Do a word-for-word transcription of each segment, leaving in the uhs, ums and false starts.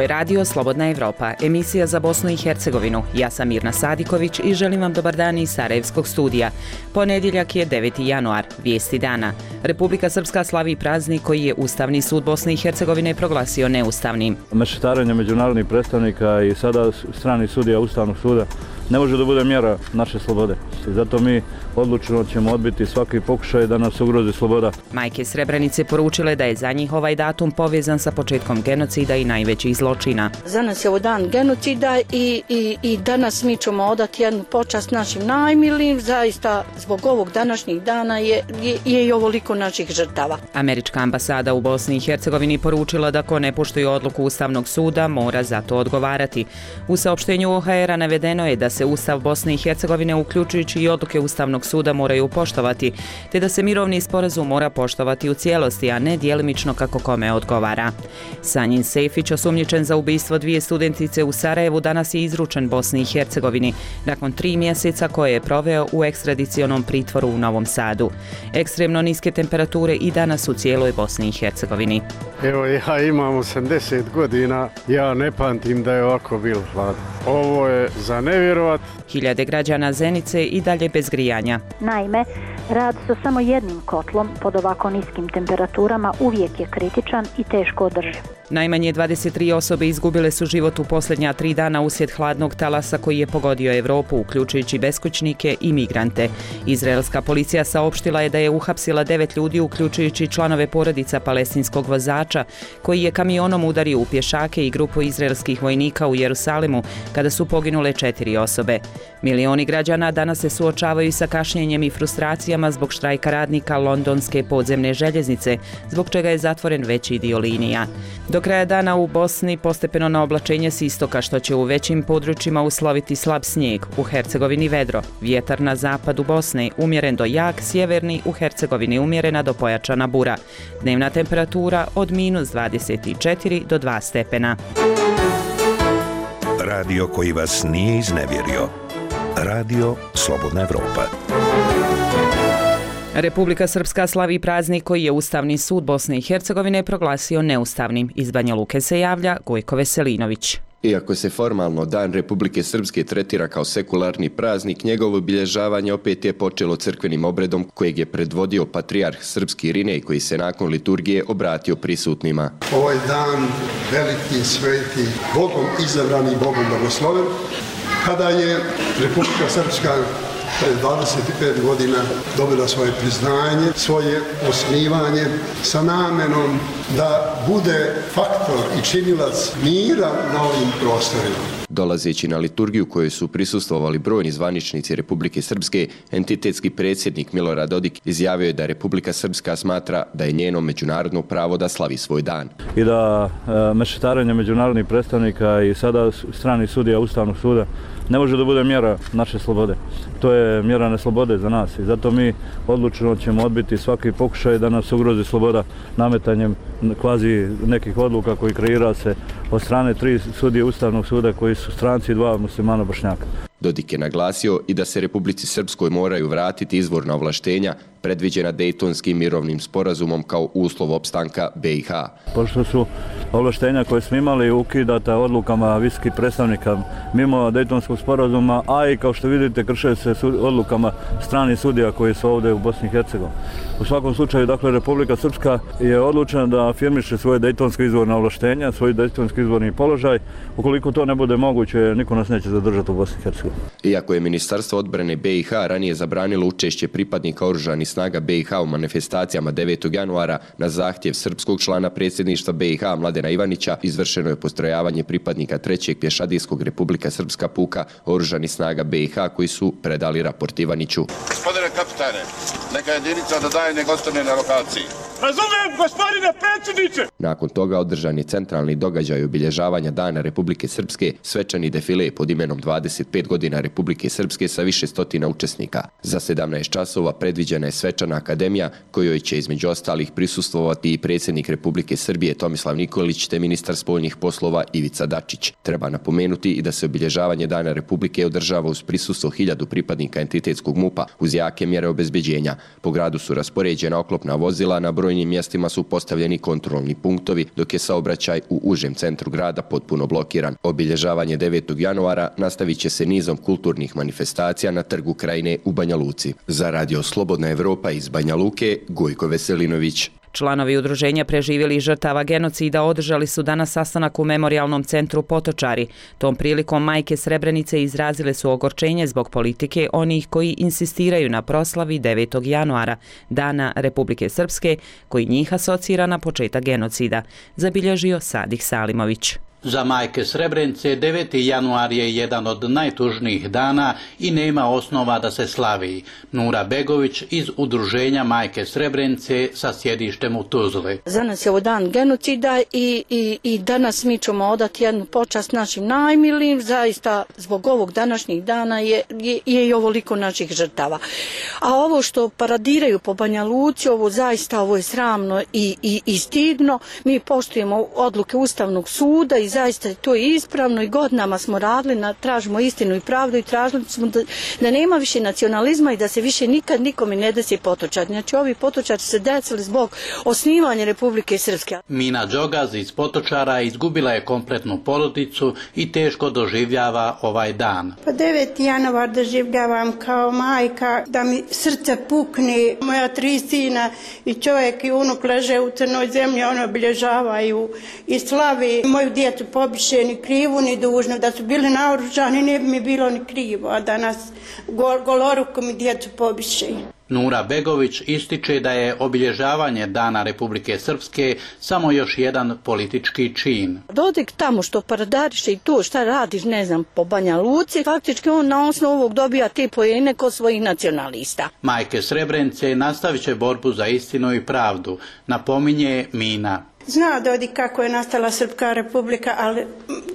je radio Slobodna Evropa, emisija za Bosnu i Hercegovinu. Ja sam Mirna Sadiković i želim vam dobar dan iz Sarajevskog studija. Ponedjeljak je deveti januar, vijesti dana. Republika Srpska slavi praznik koji je Ustavni sud Bosne i Hercegovine proglasio neustavnim. Mešetarenje međunarodnih predstavnika i sada strani sudija Ustavnog suda ne može da bude mjera naše slobode. Zato mi odlučno ćemo odbiti svaki pokušaj da nas ugrozi sloboda. Majke Srebrenice poručile da je za njih ovaj datum povezan sa početkom genocida i najvećih zločina. Za nas je ovo dan genocida i, i, i danas mi ćemo odati jednu počast našim najmilijim. Zaista zbog ovog današnjih dana je, je, je i ovoliko naših žrtava. Američka ambasada u Bosni i Hercegovini poručila da ko ne poštuje odluku Ustavnog suda mora za to odgovarati. U saopštenju O H R-a navedeno je da se Ustav Bosne i Hercegovine, uključujući i odluke Ustavnog suda, moraju poštovati, te da se mirovni sporazum mora poštovati u cijelosti, a ne djelimično kako kome odgovara. Sanjin Sejfić, osumnjičen za ubistvo dvije studentice u Sarajevu, danas je izručen Bosni i Hercegovini nakon tri mjeseca koje je proveo u ekstradicionom pritvoru u Novom Sadu. Ekstremno niske temperature i danas u cijeloj Bosni i Hercegovini. Evo, ja imam osamdeset godina, ja ne pamtim da je ovako bilo hladno. Ovo je za nevjerovat. Hiljade građana Zenice i dalje bez grijanja. Naime, rad sa samo jednim kotlom pod ovako niskim temperaturama uvijek je kritičan i teško održiv. Najmanje dvadeset tri osobe izgubile su život u posljednja tri dana uslijed hladnog talasa koji je pogodio Evropu, uključujući beskućnike i migrante. Izraelska policija saopštila je da je uhapsila devet ljudi, uključujući članove porodica palestinskog vozača, koji je kamionom udario u pješake i grupu izraelskih vojnika u Jerusalimu, kada su poginule četiri osobe. Milioni građana danas se suočavaju sa kašnjenjem i frustracijama zbog štrajka radnika londonske podzemne željeznice, zbog čega je zatvoren veći dio linija. Do kraja dana u Bosni postepeno na oblačenje s istoka, što će u većim područjima usloviti slab snijeg, u Hercegovini vedro, vjetar na zapadu Bosne umjeren do jak, sjeverni u Hercegovini umjerena do pojačana bura. Dnevna temperatura od minus dvadeset četiri do dva stepena. Radio koji vas nije iznevjerio. Radio Slobodna Evropa. Republika Srpska slavi praznik koji je Ustavni sud Bosne i Hercegovine proglasio neustavnim. Iz Banja Luke se javlja Gojko Veselinović. Iako se formalno Dan Republike Srpske tretira kao sekularni praznik, njegovo obilježavanje opet je počelo crkvenim obredom kojeg je predvodio patrijarh srpski Irinej, koji se nakon liturgije obratio prisutnima. Ovaj dan veliki, sveti, Bogom izabrani, Bogom blagosloven, kada je Republika Srpska pred dvadeset pet godina dobila svoje priznanje, svoje osnivanje sa namenom da bude faktor i činilac mira na ovim prostorima. Dolazeći na liturgiju kojoj su prisustvovali brojni zvaničnici Republike Srpske, entitetski predsjednik Milorad Dodik izjavio je da Republika Srpska smatra da je njeno međunarodno pravo da slavi svoj dan. I da e, mešetarenje međunarodnih predstavnika i sada strani sudija Ustavnog suda ne može da bude mjera naše slobode. To je mjera neslobode za nas i zato mi odlučno ćemo odbiti svaki pokušaj da nas ugrozi sloboda nametanjem kvazi nekih odluka koji kreira se od strane tri sudije Ustavnog suda koji su stranci i dva muslimana Bošnjaka. Dodik je naglasio i da se Republici Srpskoj moraju vratiti izvorna ovlaštenja predviđena Dejtonskim mirovnim sporazumom kao uslov opstanka B i H. Pošto su ovlaštenja koje smo imali ukidata odlukama visokih predstavnika mimo Dejtonskog sporazuma, a i kao što vidite krše se odlukama stranih sudija koji su ovdje u Bosni i Hercegovini. U svakom slučaju, dakle, Republika Srpska je odlučena da afirmiše svoje dejtonske izvorne ovlaštenja, svoj dejtonski izvorni položaj. Ukoliko to ne bude moguće, niko nas neće zadržati u Bosni i Hercegovini. Iako je Ministarstvo odbrane B i H ranije zabranilo učešće pripadnika oružanih snaga B i H u manifestacijama devetog januara, na zahtjev srpskog člana predsjedništva B i H Mladena Ivanića izvršeno je postrojavanje pripadnika trećeg pješadijskog Republika Srpska puka oružanih snaga B i H koji su predali raport Ivaniću. Gospodine kapitane, neka jedinica da daje nek ostane na lokaciji. Razumijem, gospodine predsjedniče! Nakon toga održan je centralni događaj obilježavanja Dana Republike Srpske, svečani defile pod imenom dvadeset pet godina Republike Srpske sa više stotina učesnika. Za sedamnaest časova predviđena je svečana akademija kojoj će između ostalih prisustvovati i predsjednik Republike Srbije Tomislav Nikolić te ministar spoljnih poslova Ivica Dačić. Treba napomenuti i da se obilježavanje Dana Republike održava uz prisustvo hiljadu pripadnika entitetskog MUP-a uz jake mjere obezbeđenja. Po gradu su raspoređena oklopna vozila, na brojnim mjestima su postavljeni kontrolni punktovi, dok je saobraćaj u užem centru grada potpuno blokiran. Obilježavanje devetog januara nastavit će se nizom kulturnih manifestacija na Trgu Krajine u Banja Luci. Za Radio Slobodna Evropa iz Banja Luke, Gojko Veselinović. Članovi udruženja preživjelih žrtava genocida održali su danas sastanak u Memorijalnom centru Potočari. Tom prilikom majke Srebrenice izrazile su ogorčenje zbog politike onih koji insistiraju na proslavi devetog januara, Dana Republike Srpske, koji njih asocira na početak genocida, zabilježio Sadik Salimović. Za majke Srebrenice deveti januar je jedan od najtužnijih dana i nema osnova da se slavi. Nura Begović iz udruženja Majke Srebrenice sa sjedištem u Tuzli. Za nas je ovo dan genocida i, i, i danas mi ćemo odati jednu počast našim najmilijim. Zaista zbog ovog današnjih dana je, je, je i ovoliko naših žrtava. A ovo što paradiraju po Banja Luci, ovo zaista ovo je sramno i, i, i stidno. Mi poštujemo odluke Ustavnog suda i zaista to je ispravno i godinama smo radili, na, tražimo istinu i pravdu i tražili smo da, da nema više nacionalizma i da se više nikad nikome ne desi Potočar. Znači ovi Potočari se desili zbog osnivanja Republike Srpske. Mina Đogaz iz Potočara izgubila je kompletnu porodicu i teško doživljava ovaj dan. Pa deveti januar doživljavam kao majka, da mi srce pukne. Moja tri sina i čovjek i unuk leže u crnoj zemlji, ono obilježavaju i slavi moju djecu pobiše ni krivu ni dužnu, da su bili naoružani ne bi mi bilo ni krivo, a danas gol, goloruko mi djecu pobiše. Nura Begović ističe da je obilježavanje Dana Republike Srpske samo još jedan politički čin. Dodik tamo što paradariše i to šta radiš, ne znam, po Banja Luci, faktički on na osnovu ovog dobija te poene kod svojih nacionalista. Majke Srebrenice nastavit će borbu za istinu i pravdu, napominje Mina. Zna Dodik kako je nastala Srpska republika, ali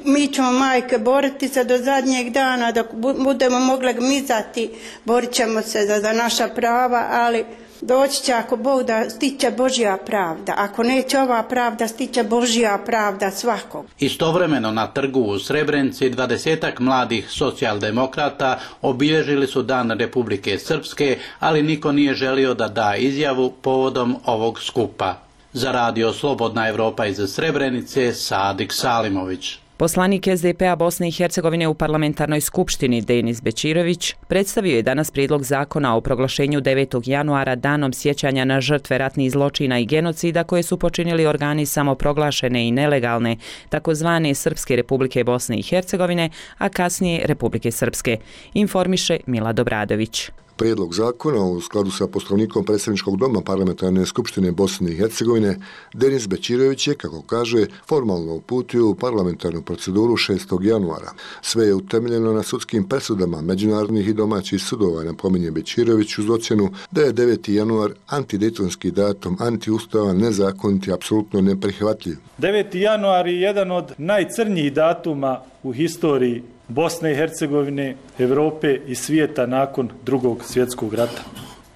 mi ćemo majke boriti se do zadnjeg dana, dok budemo mogli gmizati, borit ćemo se za, za naša prava, ali doći će ako Bog da stiče Božja pravda. Ako neće ova pravda, stiče Božja pravda svakog. Istovremeno na trgu u Srebrenici dvadesetak mladih socijaldemokrata obilježili su Dan Republike Srpske, ali niko nije želio da da izjavu povodom ovog skupa. Za Radio Slobodna Evropa iz Srebrenice, Sadik Salimović. Poslanik S D P-a Bosne i Hercegovine u parlamentarnoj skupštini Denis Bećirović predstavio je danas prijedlog zakona o proglašenju devetog januara danom sjećanja na žrtve ratnih zločina i genocida koje su počinili organi samoproglašene i nelegalne takozvane Srpske Republike Bosne i Hercegovine, a kasnije Republike Srpske, informiše Mila Dobradović. Prijedlog zakona u skladu sa poslovnikom predsjedničkog doma parlamentarne skupštine Bosne i Hercegovine Denis Bećirović je, kako kaže, formalno uputio u parlamentarnu proceduru šestog januara. Sve je utemeljeno na sudskim presudama međunarodnih i domaćih sudova, napominje Bećirović uz ocjenu da je deveti januar antidejtonski datum, antiustavan, nezakonit i apsolutno neprihvatljiv. deveti januar je jedan od najcrnjih datuma u historiji Bosne i Hercegovine, Europe i svijeta nakon drugog svjetskog rata.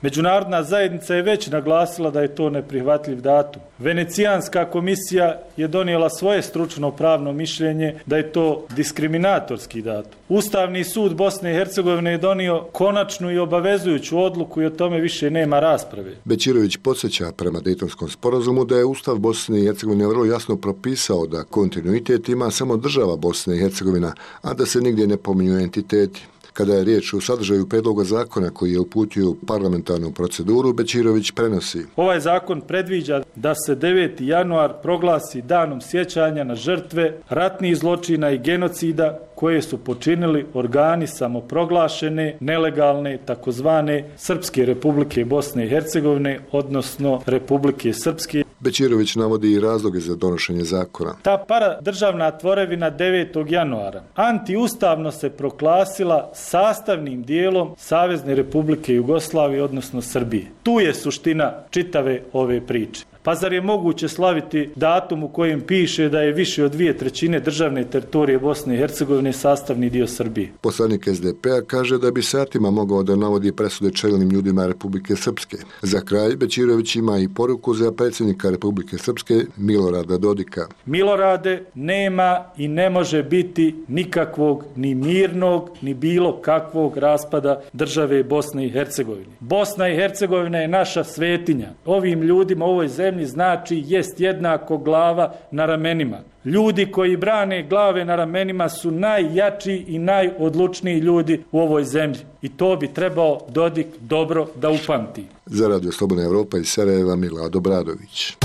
Međunarodna zajednica je već naglasila da je to neprihvatljiv datum. Venecijanska komisija je donijela svoje stručno pravno mišljenje da je to diskriminatorski datum. Ustavni sud Bosne i Hercegovine je donio konačnu i obavezujuću odluku i o tome više nema rasprave. Bećirović podsjeća prema Dejtonskom sporazumu da je Ustav Bosne i Hercegovine vrlo jasno propisao da kontinuitet ima samo država Bosne i Hercegovina, a da se nigdje ne pominju entiteti. Kada je riječ o sadržaju predloga zakona koji je uputio u parlamentarnu proceduru, Bećirović prenosi. Ovaj zakon predviđa da se deveti januar proglasi danom sjećanja na žrtve ratnih zločina i genocida koje su počinili organi samoproglašene, nelegalne, takozvane Srpske Republike Bosne i Hercegovine, odnosno Republike Srpske. Bećirović navodi i razloge za donošenje zakona. Ta paradržavna tvorevina devetog januara antiustavno se proglasila sastavnim dijelom Savezne Republike Jugoslavije, odnosno Srbije. Tu je suština čitave ove priče. Pa zar je moguće slaviti datum u kojem piše da je više od dvije trećine državne teritorije Bosne i Hercegovine sastavni dio Srbije? Poslanik S D P-a kaže da bi satima mogao da navodi presude čelnim ljudima Republike Srpske. Za kraj, Bećirović ima i poruku za predsjednika Republike Srpske Milorada Dodika. Milorade, nema i ne može biti nikakvog ni mirnog, ni bilo kakvog raspada države Bosne i Hercegovine. Bosna i Hercegovina je naša svetinja. Ovim ljudima u ovoj zemlji znači jest jednako glava na ramenima. Ljudi koji brane glave na ramenima su najjači i najodlučniji ljudi u ovoj zemlji. I to bi trebao Dodik dobro da upamti. Za Radio Slobodna Evropa iz Sarajeva, Milado Bradović.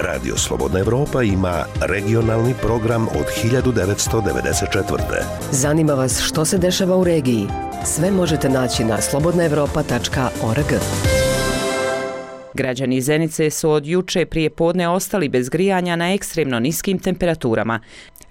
Radio Slobodna Evropa ima regionalni program od hiljadu devetsto devedeset četvrte. Zanima vas što se dešava u regiji? Sve možete naći na slobodna evropa tačka org. Građani Zenice su od juče prije podne ostali bez grijanja na ekstremno niskim temperaturama.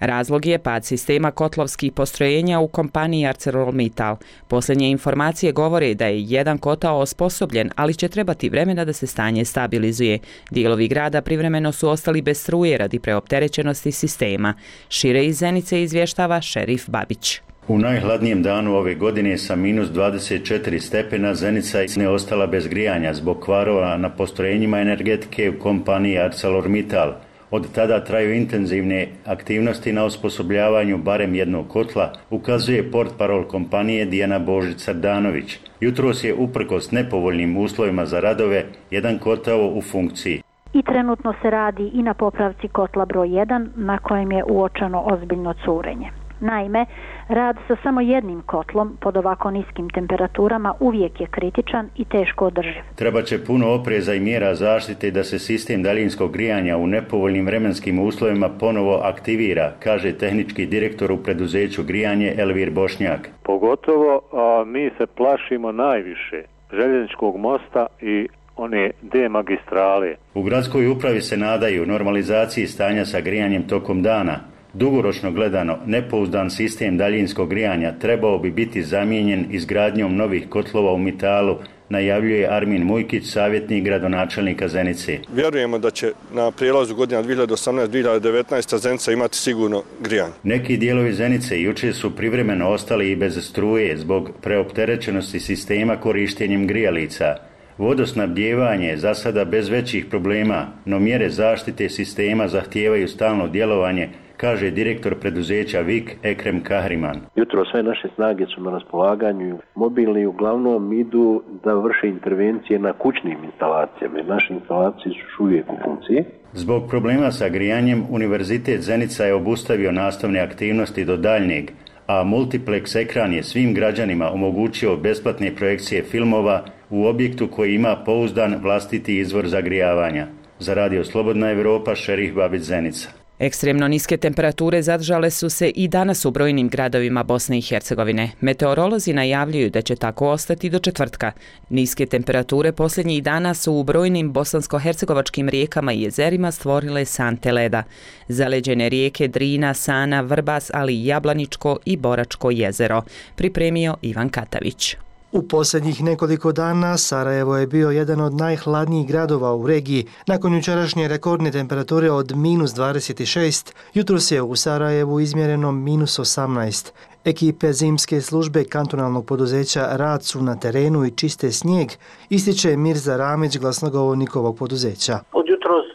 Razlog je pad sistema kotlovskih postrojenja u kompaniji ArcelorMittal. Posljednje informacije govore da je jedan kotao osposobljen, ali će trebati vremena da se stanje stabilizuje. Dijelovi grada privremeno su ostali bez struje radi preopterećenosti sistema. Šire iz Zenice izvještava Šerif Babić. U najhladnijem danu ove godine sa minus dvadeset četiri stepena Zenica je ostala bez grijanja zbog kvarova na postrojenjima energetike u kompaniji ArcelorMittal. Od tada traju intenzivne aktivnosti na osposobljavanju barem jednog kotla, ukazuje portparol kompanije Dijana Božić-Sardanović. Jutros je uprkos nepovoljnim uslovima za radove jedan kotao u funkciji. I trenutno se radi i na popravci kotla broj jedan na kojem je uočeno ozbiljno curenje. Naime, rad sa samo jednim kotlom pod ovako niskim temperaturama uvijek je kritičan i teško održiv. Treba će puno opreza i mjera zaštite da se sistem daljinskog grijanja u nepovoljnim vremenskim uslovima ponovo aktivira, kaže tehnički direktor u preduzeću Grijanje Elvir Bošnjak. Pogotovo a, mi se plašimo najviše željezničkog mosta i one D magistrale. U gradskoj upravi se nadaju normalizaciji stanja sa grijanjem tokom dana. Dugoročno gledano, nepouzdan sistem daljinskog grijanja trebao bi biti zamijenjen izgradnjom novih kotlova u Mitalu, najavljuje Armin Mujkić, savjetnik gradonačelnika Zenice. Vjerujemo da će na prijelazu godina dvije hiljade osamnaeste dvije hiljade devetnaeste Zenica imati sigurno grijanje. Neki dijelovi Zenice jučer su privremeno ostali i bez struje zbog preopterećenosti sistema korištenjem grijalica. Vodosnabdijevanje je za sada bez većih problema, no mjere zaštite sistema zahtijevaju stalno djelovanje, kaže direktor preduzeća Vik Ekrem Kahriman. Jutro sve naše snage su na raspolaganju. Mobilni uglavnom idu da vrše intervencije na kućnim instalacijama. Naše instalacije su uvijek u funkciji. Zbog problema sa grijanjem, Univerzitet Zenica je obustavio nastavne aktivnosti do daljnjeg, a Multiplex ekran je svim građanima omogućio besplatne projekcije filmova u objektu koji ima pouzdan vlastiti izvor zagrijavanja. Za Radio Slobodna Evropa, Šerif Babić, Zenica. Ekstremno niske temperature zadržale su se i danas u brojnim gradovima Bosne i Hercegovine. Meteorolozi najavljuju da će tako ostati do četvrtka. Niske temperature posljednjih dana su u brojnim bosansko-hercegovačkim rijekama i jezerima stvorile sante leda. Zaleđene rijeke Drina, Sana, Vrbas, ali i Jablaničko i Boračko jezero. Pripremio Ivan Katavić. U posljednjih nekoliko dana Sarajevo je bio jedan od najhladnijih gradova u regiji. Nakon jučerašnje rekordne temperature od minus dvadeset šest, jutros je u Sarajevu izmjereno minus osamnaest. Ekipe zimske službe kantonalnog poduzeća rad su na terenu i čiste snijeg, ističe Mirza Ramić, glasnogovornik ovog poduzeća. Od jutros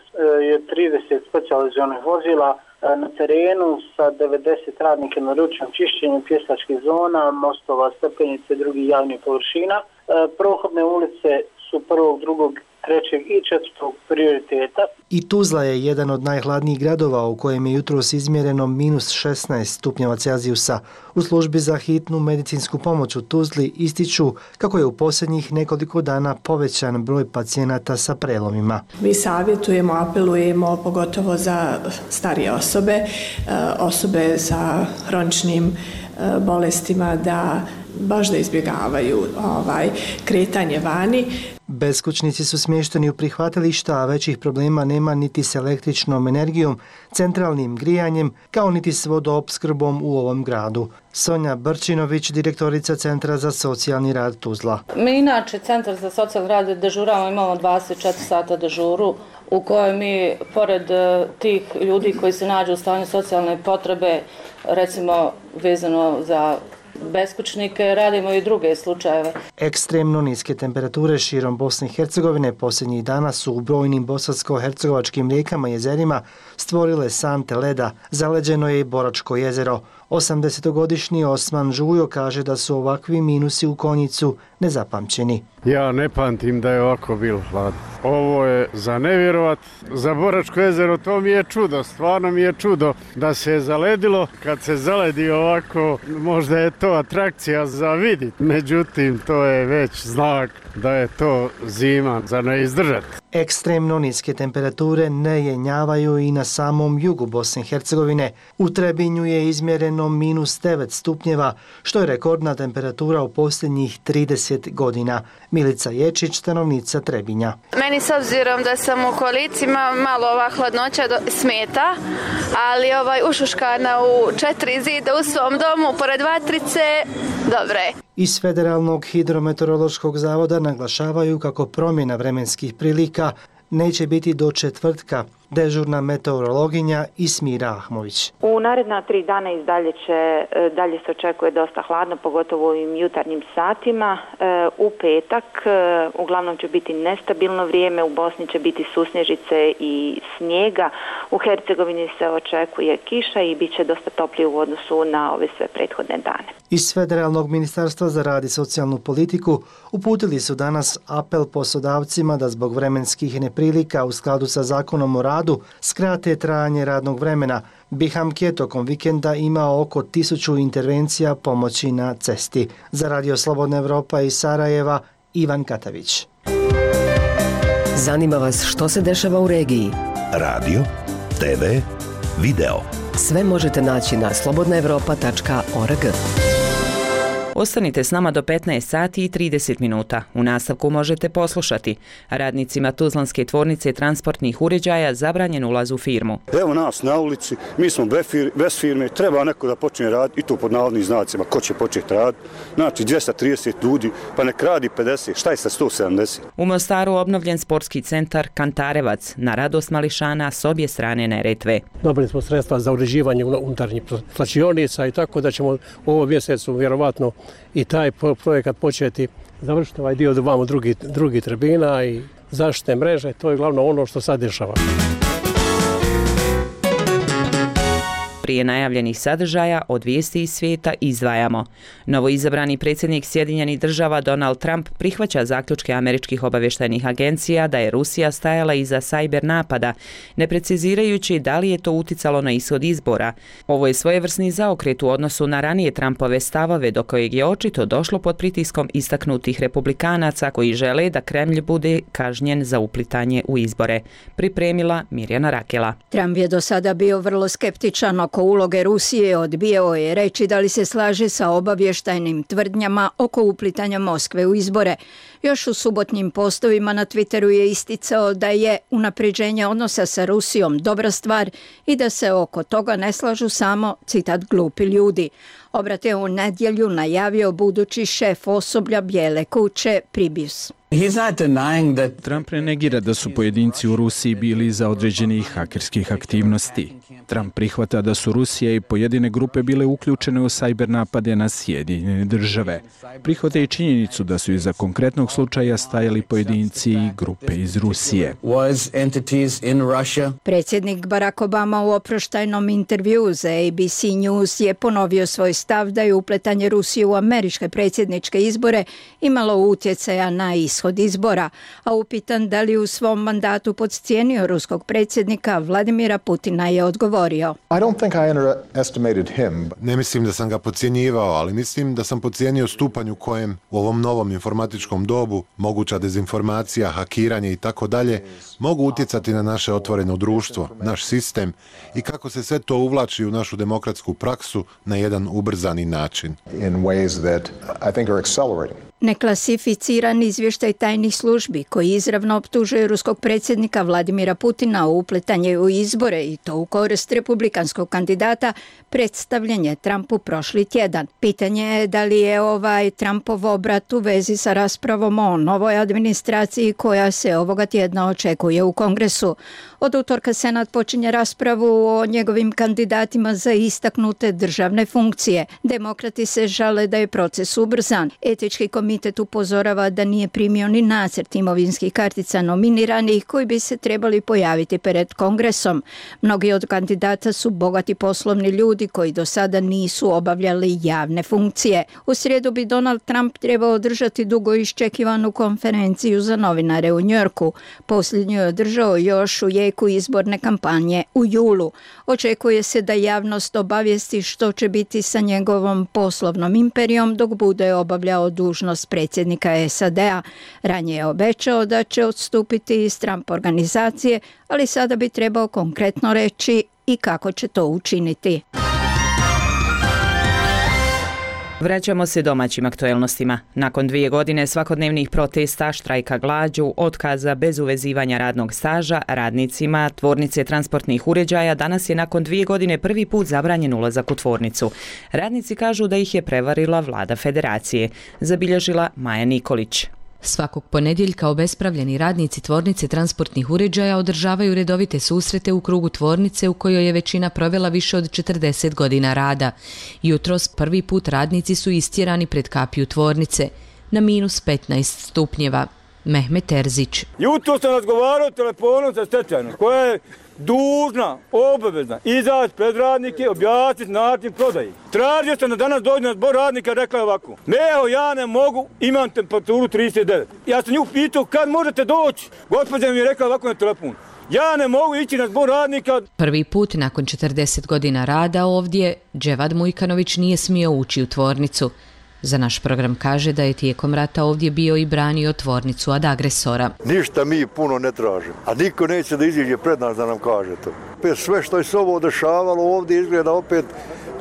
je trideset specijalizovanih vozila na terenu sa devedeset radnika na ručnom čišćenju pješačkih zona, mostova, stepenice i drugih javnih površina. Prohodne ulice su prvog, drugog, trećeg i četvrtog prioriteta. I Tuzla je jedan od najhladnijih gradova u kojem je jutros izmjereno minus šesnaest stupnjeva Celzijusa. U službi za hitnu medicinsku pomoć u Tuzli ističu kako je u posljednjih nekoliko dana povećan broj pacijenata sa prelomima. Mi savjetujemo, apelujemo pogotovo za starije osobe, osobe sa hroničnim bolestima da baš da izbjegavaju ovaj, kretanje vani. Beskućnici su smješteni u prihvatilišta, a većih problema nema niti s električnom energijom, centralnim grijanjem, kao niti s vodoopskrbom u ovom gradu. Sonja Brčinović, direktorica Centra za socijalni rad Tuzla. Mi inače Centar za socijalni rad dežuramo, imamo dvadeset četiri sata dežuru u kojoj mi, pored tih ljudi koji se nađu u stanju socijalne potrebe, recimo vezano za beskućnike, radimo i druge slučajeve. Ekstremno niske temperature širom Bosne i Hercegovine posljednjih dana su u brojnim bosansko-hercegovačkim rijekama i jezerima stvorile sante leda. Zaleđeno je i Boračko jezero. osamdesetogodišnji Osman Žujo kaže da su ovakvi minusi u Konjicu nezapamćeni. Ja ne pamtim da je ovako bilo hladno. Ovo je za nevjerovat. Za Boračko jezero to mi je čudo, stvarno mi je čudo da se je zaledilo. Kad se zaledi ovako, možda je to atrakcija za vidit. Međutim, to je već znak da je to zima za ne izdržati. Ekstremno niske temperature ne jenjavaju i na samom jugu Bosne i Hercegovine. U Trebinju je izmjereno minus devet stupnjeva, što je rekordna temperatura u posljednjih trideset godina. Milica Ječić, stanovnica Trebinja. Meni s obzirom da sam u koaliciji malo ova hladnoća smeta, ali ovaj ušuškana u četiri zida u svom domu pored vatrice, dobro je. Iz Federalnog hidrometeorološkog zavoda naglašavaju kako promjena vremenskih prilika neće biti do četvrtka. Dežurna meteorologinja Ismira Ahmović. U naredna tri dana i dalje, će, dalje se očekuje dosta hladno, pogotovo u ovim jutarnjim satima. U petak uglavnom će biti nestabilno vrijeme, u Bosni će biti susnježice i snijega. U Hercegovini se očekuje kiša i bit će dosta toplije u odnosu na ove sve prethodne dane. Iz Federalnog ministarstva za rad i socijalnu politiku uputili su danas apel poslodavcima da zbog vremenskih neprilika u skladu sa zakonom o radu skrate trajanje radnog vremena. Biham je tokom vikenda imao oko tisuću intervencija pomoći na cesti. Za Radio Slobodna Evropa iz Sarajeva, Ivan Katavić. Zanima vas što se dešava u regiji? Radio, te ve, video. Sve možete naći na slobodna evropa tačka org. Ostanite s nama do petnaest sati i trideset minuta. U nastavku možete poslušati. Radnicima Tuzlanske tvornice transportnih uređaja zabranjen ulaz u firmu. Evo nas na ulici, mi smo bez firme, treba neko da počne raditi i to pod navodnim znacima. Ko će početi raditi? Znači dvjesto trideset ljudi, pa nek radi pedeset, šta je sa sto sedamdeset? U Mostaru obnovljen sportski centar Kantarevac na radost mališana s obje strane Neretve. Dobili smo sredstva za uređivanje unutarnjih slačionica i tako da ćemo u ovom mjesecu vjerovatno i taj projekat početi završiti ovaj dio vamo drugi, drugi tribina i zaštite mreže, to je glavno ono što sad dešava. Prije najavljenih sadržaja od vijesti iz svijeta izdvajamo. Novoizabrani predsjednik Sjedinjenih država Donald Trump prihvaća zaključke američkih obavještajnih agencija da je Rusija stajala iza sajber napada, ne precizirajući da li je to uticalo na ishod izbora. Ovo je svojevrsni zaokret u odnosu na ranije Trumpove stavove, do kojeg je očito došlo pod pritiskom istaknutih republikanaca koji žele da Kremlj bude kažnjen za uplitanje u izbore. Pripremila Mirjana Rakela. Trump je do sada bio vrlo skeptičan oko uloge Rusije, odbijao je reći da li se slaže sa obavještajnim tvrdnjama oko uplitanja Moskve u izbore. Još u subotnjim postovima na Twitteru je isticao da je unapređenje odnosa sa Rusijom dobra stvar i da se oko toga ne slažu samo, citat, glupi ljudi. Obrat je u nedjelju najavio budući šef osoblja Bijele kuće Pribius. Trump ne negira da su pojedinci u Rusiji bili iza određenih hakerskih aktivnosti. Trump prihvata da su Rusija i pojedine grupe bile uključene u sajber napade na Sjedinjene države. Prihvata i činjenicu da su iza konkretnog slučaja stajali pojedinci i grupe iz Rusije. Predsjednik Barack Obama u oproštajnom intervjuu za A B C News je ponovio svoj stav da je upletanje Rusije u američke predsjedničke izbore imalo utjecaja na ishod izbora, a upitan da li u svom mandatu podcijenio ruskog predsjednika Vladimira Putina je odgovorio. Ne mislim da sam ga podcjenjivao, ali mislim da sam podcijenio stupanj u kojem u ovom novom informatičkom dobu moguća dezinformacija, hakiranje i tako dalje mogu utjecati na naše otvoreno društvo, naš sistem i kako se sve to uvlači u našu demokratsku praksu na jedan ubrzan ubrzani način. In ways that I think are accelerating. Neklasificiran izvještaj tajnih službi koji izravno optužuje ruskog predsjednika Vladimira Putina o upletanje u izbore i to u korist republikanskog kandidata predstavljen je Trumpu prošli tjedan. Pitanje je da li je ovaj Trumpov obrat u vezi sa raspravom o novoj administraciji koja se ovoga tjedna očekuje u Kongresu. Od utorka Senat počinje raspravu o njegovim kandidatima za istaknute državne funkcije. Demokrati se žale da je proces ubrzan. Etički komitet upozorava da nije primio ni nacrt imovinskih kartica nominiranih koji bi se trebali pojaviti pred Kongresom. Mnogi od kandidata su bogati poslovni ljudi koji do sada nisu obavljali javne funkcije. U srijedu bi Donald Trump trebao održati dugo iščekivanu konferenciju za novinare u Njujorku. Posljednju je održao još u jeku izborne kampanje u julu. Očekuje se da javnost obavijesti što će biti sa njegovom poslovnom imperijom dok bude obavljao dužnost predsjednika S A D-a. Ranije je obećao da će odstupiti iz Trump organizacije, ali sada bi trebao konkretno reći i kako će to učiniti. Vraćamo se domaćim aktuelnostima. Nakon dvije godine svakodnevnih protesta, štrajka glađu, otkaza bez uvezivanja radnog staža, radnicima tvornice transportnih uređaja danas je nakon dvije godine prvi put zabranjen ulazak u tvornicu. Radnici kažu da ih je prevarila vlada federacije, zabilježila Maja Nikolić. Svakog ponedjeljka obespravljeni radnici tvornice transportnih uređaja održavaju redovite susrete u krugu tvornice u kojoj je većina provela više od četrdeset godina rada. Jutros prvi put radnici su istjerani pred kapiju tvornice na minus petnaest stupnjeva. Mehmet Terzić. Jutro sam razgovarao telefonom sa stečajnom koja je dužna, obavezna izaći pred radnike, objasniti način prodaje. Tražio sam da danas dođe na zbor radnika, rekla je ovako: Meho, ja ne mogu, imam temperaturu trideset devet. Ja sam nju pitao kad možete doći. Gospođa mi je rekla ovako na telefon: ja ne mogu ići na zbor radnika. Prvi put nakon četrdeset godina rada ovdje, Dževad Mujkanović nije smio ući u tvornicu. Za naš program kaže da je tijekom rata ovdje bio i branio tvornicu od agresora. Ništa mi puno ne tražimo, a niko neće da iziđe pred nas da nam kaže to. Sve što je se ovo dešavalo ovdje izgleda opet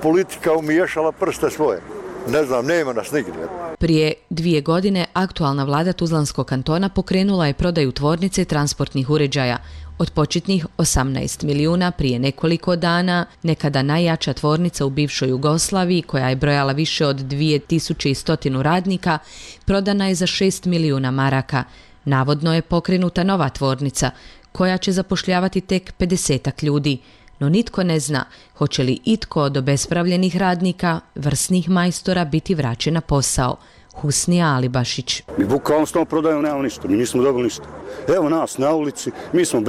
politika umiješala prste svoje. Ne znam, nema nas nigdje. Prije dvije godine aktualna vlada Tuzlanskog kantona pokrenula je prodaju tvornice transportnih uređaja. Od početnih osamnaest milijuna prije nekoliko dana, nekada najjača tvornica u bivšoj Jugoslaviji, koja je brojala više od dvije tisuće sto radnika, prodana je za šest milijuna maraka. Navodno je pokrenuta nova tvornica, koja će zapošljavati tek pedesetak ljudi. No nitko ne zna hoće li itko od obespravljenih radnika, vrsnih majstora, biti vraćen na posao. Husnija Alibašić. Mi bukvalno s tom prodajom nemamo ništa, mi nismo dobili ništa. Evo nas na ulici, mi smo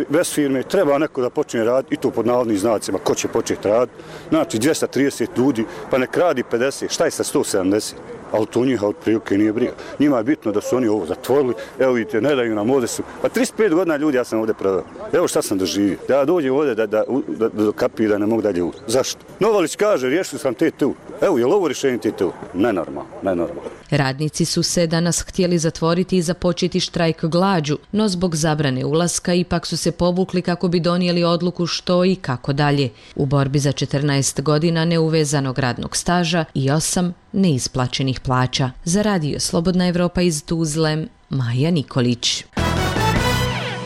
bez firme, treba neko da počne raditi, i to pod navodnim znacima, ko će početi raditi. Znači dvjesto trideset ljudi, pa nek radi pedeset, šta je sa sto sedamdeset? Ali to njihova otprilike nije briga. Njima je bitno da su oni ovo zatvorili, evo vidite, ne daju nam, ovdje su, pa trideset pet godina ljudi ja sam ovdje prodao. Evo šta sam doživio. Ja dođem ovdje da, da, da, da kapiju da ne mogu dalje ući. Zašto? Novalić kaže, riješili sam te tu. Evo, je li ovo rješenje te tu? Nenormalno, nenormalno. Radnici su se danas htjeli zatvoriti i započeti štrajk glađu, no zbog zabrane ulaska ipak su se povukli kako bi donijeli odluku što i kako dalje. U borbi za četrnaest godina neuvezanog radnog staža i osam neisplaćenih plaća. Za radio Slobodna Evropa iz Tuzle, Maja Nikolić.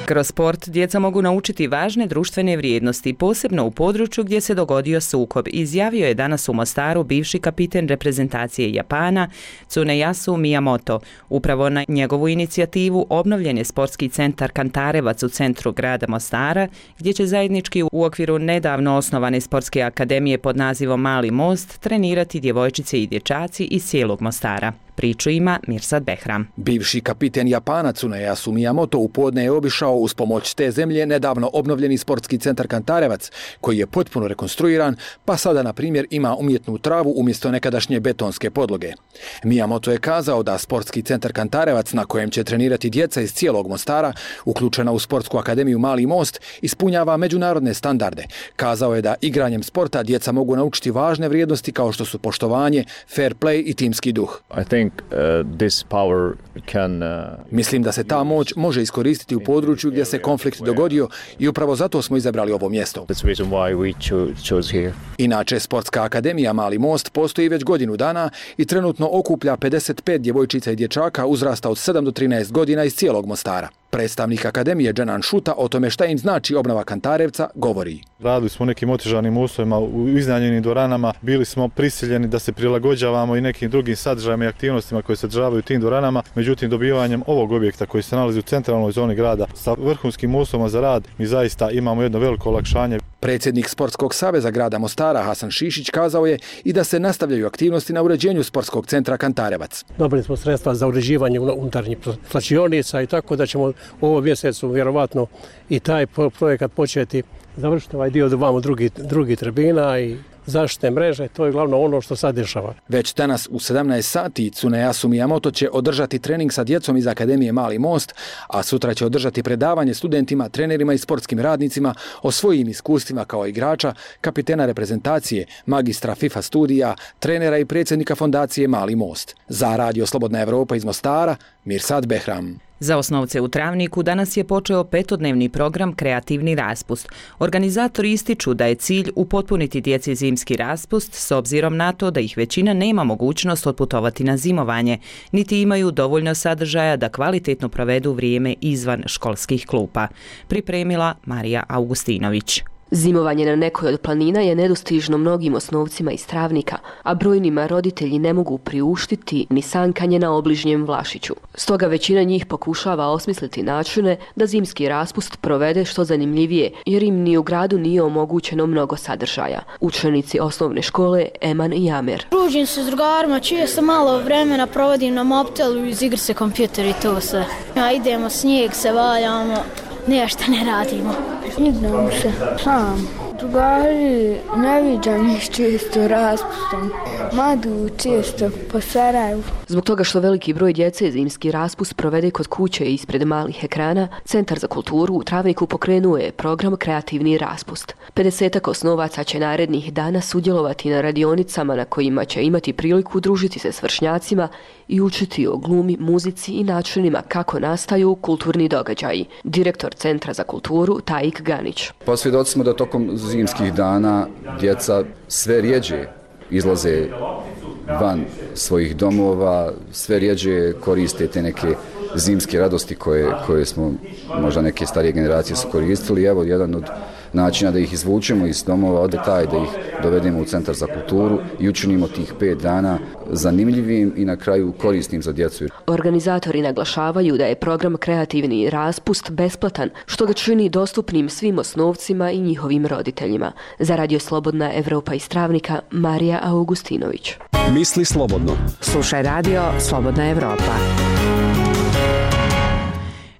Kroz sport djeca mogu naučiti važne društvene vrijednosti, posebno u području gdje se dogodio sukob, izjavio je danas u Mostaru bivši kapiten reprezentacije Japana Tsuneyasu Miyamoto. Upravo na njegovu inicijativu obnovljen je sportski centar Kantarevac u centru grada Mostara, gdje će zajednički u okviru nedavno osnovane sportske akademije pod nazivom Mali most trenirati djevojčice i dječaci iz cijelog Mostara. Priču ima Mirsad Behram. Bivši kapiten Japana Tsuneyasu Miyamoto u podne je obišao uz pomoć te zemlje nedavno obnovljeni sportski centar Kantarevac, koji je potpuno rekonstruiran, pa sada na primjer ima umjetnu travu umjesto nekadašnje betonske podloge. Miyamoto je kazao da sportski centar Kantarevac, na kojem će trenirati djeca iz cijelog Mostara, uključena u sportsku akademiju Mali most, ispunjava međunarodne standarde. Kazao je da igranjem sporta djeca mogu naučiti važne vrijednosti kao što su poštovanje, fair play i timski duh. I think Mislim da se ta moć može iskoristiti u području gdje se konflikt dogodio i upravo zato smo izabrali ovo mjesto. Inače, Sportska akademija Mali Most postoji već godinu dana i trenutno okuplja pedeset pet djevojčica i dječaka uzrasta od sedam do trinaest godina iz cijelog Mostara. Predstavnik akademije Dženan Šuta o tome šta im znači obnova Kantarevca govori. Radili smo u nekim otežanim uslovima, u iznajmljenim dvoranama, bili smo prisiljeni da se prilagođavamo i nekim drugim sadržajima i aktivnostima koje se održavaju u tim dvoranama. Međutim, dobivanjem ovog objekta koji se nalazi u centralnoj zoni grada sa vrhunskim uslovima za rad, mi zaista imamo jedno veliko olakšanje. Predsjednik Sportskog saveza grada Mostara Hasan Šišić kazao je i da se nastavljaju aktivnosti na uređenju Sportskog centra Kantarevac. Dobili smo sredstva za uređivanje unutarnjih slačionica i tako da ćemo u ovom mjesecu vjerovatno i taj projekat početi završiti ovaj dio do vamo drugi, drugi tribina i zaštitne mreže, to je glavno ono što sad dešava. Već danas u sedamnaest sati Tsuneyasu Miyamoto će održati trening sa djecom iz Akademije Mali Most, a sutra će održati predavanje studentima, trenerima i sportskim radnicima o svojim iskustvima kao igrača, kapitena reprezentacije, magistra FIFA studija, trenera i predsjednika fondacije Mali Most. Za Radio Slobodna Evropa iz Mostara, Mirsad Behram. Za osnovce u Travniku danas je počeo petodnevni program Kreativni raspust. Organizatori ističu da je cilj upotpuniti djeci zimski raspust s obzirom na to da ih većina nema mogućnost otputovati na zimovanje, niti imaju dovoljno sadržaja da kvalitetno provedu vrijeme izvan školskih klupa. Pripremila Marija Augustinović. Zimovanje na nekoj od planina je nedostižno mnogim osnovcima iz Travnika, a brojnima roditelji ne mogu priuštiti ni sankanje na obližnjem Vlašiću. Stoga većina njih pokušava osmisliti načine da zimski raspust provede što zanimljivije, jer im ni u gradu nije omogućeno mnogo sadržaja. Učenici osnovne škole Eman i Amer. Družim se s drugarima, često malo vremena provodim na mobitelu, iz igre se kompjuter i to sve. Ja idemo, snijeg se valjamo. Nešto ne radimo. Igram se sam. Drugari ne viđam ih često raspustom. Madu često po Sarajevu. Zbog toga što veliki broj djece zimski raspust provede kod kuće ispred malih ekrana, Centar za kulturu u Travniku pokrenuo je program Kreativni raspust. pedesetak osnovaca će narednih dana sudjelovati na radionicama na kojima će imati priliku družiti se s vršnjacima i učiti o glumi, muzici i načinima kako nastaju kulturni događaji. Direktor Centra za kulturu Tajik Ganić. Posvjedoci smo da tokom zimskih dana djeca sve rjeđe izlaze van svojih domova, sve rjeđe koriste te neke zimske radosti koje, koje smo, možda neke starije generacije su koristili. Evo, jedan od načina da ih izvučemo iz domova od taj da ih dovedemo u Centar za kulturu i učinimo tih pet dana zanimljivim i na kraju korisnim za djecu. Organizatori naglašavaju da je program Kreativni raspust besplatan, što ga čini dostupnim svim osnovcima i njihovim roditeljima. Za Radio Slobodna Evropa iz Travnika, Marija Augustinović. Misli slobodno. Slušaj Radio Slobodna Evropa.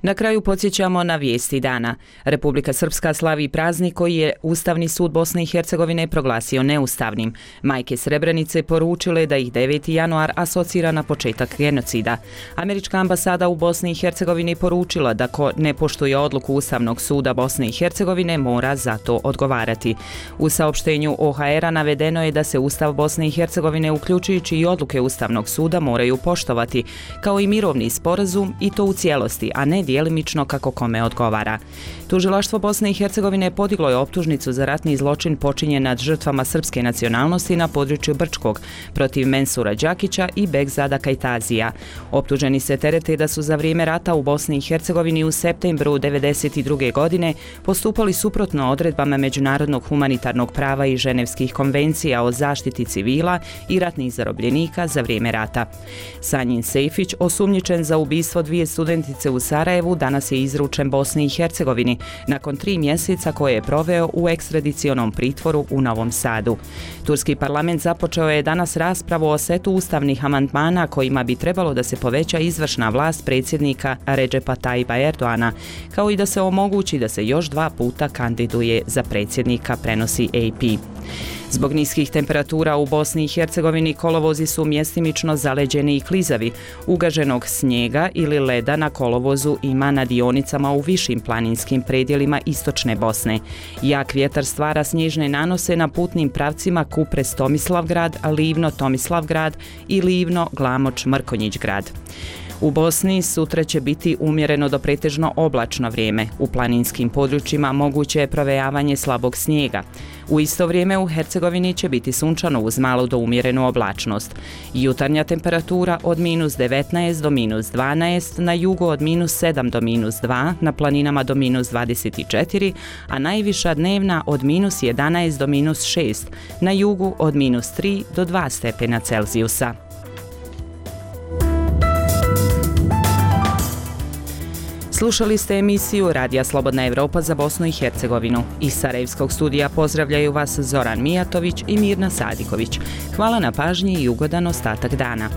Na kraju podsjećamo na vijesti dana. Republika Srpska slavi praznik koji je Ustavni sud Bosne i Hercegovine proglasio neustavnim. Majke Srebrenice poručile da ih deveti januar asocira na početak genocida. Američka ambasada u Bosni i Hercegovini poručila da ko ne poštuje odluku Ustavnog suda Bosne i Hercegovine mora za to odgovarati. U saopštenju O H R-a navedeno je da se Ustav Bosne i Hercegovine, uključujući i odluke Ustavnog suda, moraju poštovati, kao i mirovni sporazum, i to u cijelosti, a ne djelimično kako kome odgovara. Tužilaštvo Bosne i Hercegovine podiglo je optužnicu za ratni zločin počinjen nad žrtvama srpske nacionalnosti na području Brčkog protiv Mensura Đakića i Begzada Kajtazija. Optuženi se terete da su za vrijeme rata u Bosni i Hercegovini u septembru devedeset druge godine postupali suprotno odredbama međunarodnog humanitarnog prava i ženevskih konvencija o zaštiti civila i ratnih zarobljenika za vrijeme rata. Sanjin Sejfić, osumnjičen za ubistvo dvije studentice u Sarajevu, danas je izručen Bosni i Hercegovini nakon tri mjeseca koje je proveo u ekstradicionom pritvoru u Novom Sadu. Turski parlament započeo je danas raspravu o setu ustavnih amandmana kojima bi trebalo da se poveća izvršna vlast predsjednika Redžepa Tajipa Erdoana, kao i da se omogući da se još dva puta kandiduje za predsjednika, prenosi A P. Zbog niskih temperatura u Bosni i Hercegovini kolovozi su mjestimično zaleđeni i klizavi. Ugaženog snijega ili leda na kolovozu ima na dionicama u višim planinskim predjelima istočne Bosne. Jak vjetar stvara snježne nanose na putnim pravcima Kupres-Tomislavgrad, Livno-Tomislavgrad i Livno-Glamoč-Mrkonjić-grad. U Bosni sutra će biti umjereno do pretežno oblačno vrijeme. U planinskim područjima moguće je provejavanje slabog snijega. U isto vrijeme u Hercegovini će biti sunčano uz malu do umjerenu oblačnost. Jutarnja temperatura od minus devetnaest do minus dvanaest, na jugu od minus sedam do minus dva, na planinama do minus dvadeset četiri, a najviša dnevna od minus jedanaest do minus šest, na jugu od minus tri do dva stepena Celzijusa. Slušali ste emisiju Radija Slobodna Evropa za Bosnu i Hercegovinu. Iz Sarajevskog studija pozdravljaju vas Zoran Mijatović i Mirna Sadiković. Hvala na pažnji i ugodan ostatak dana.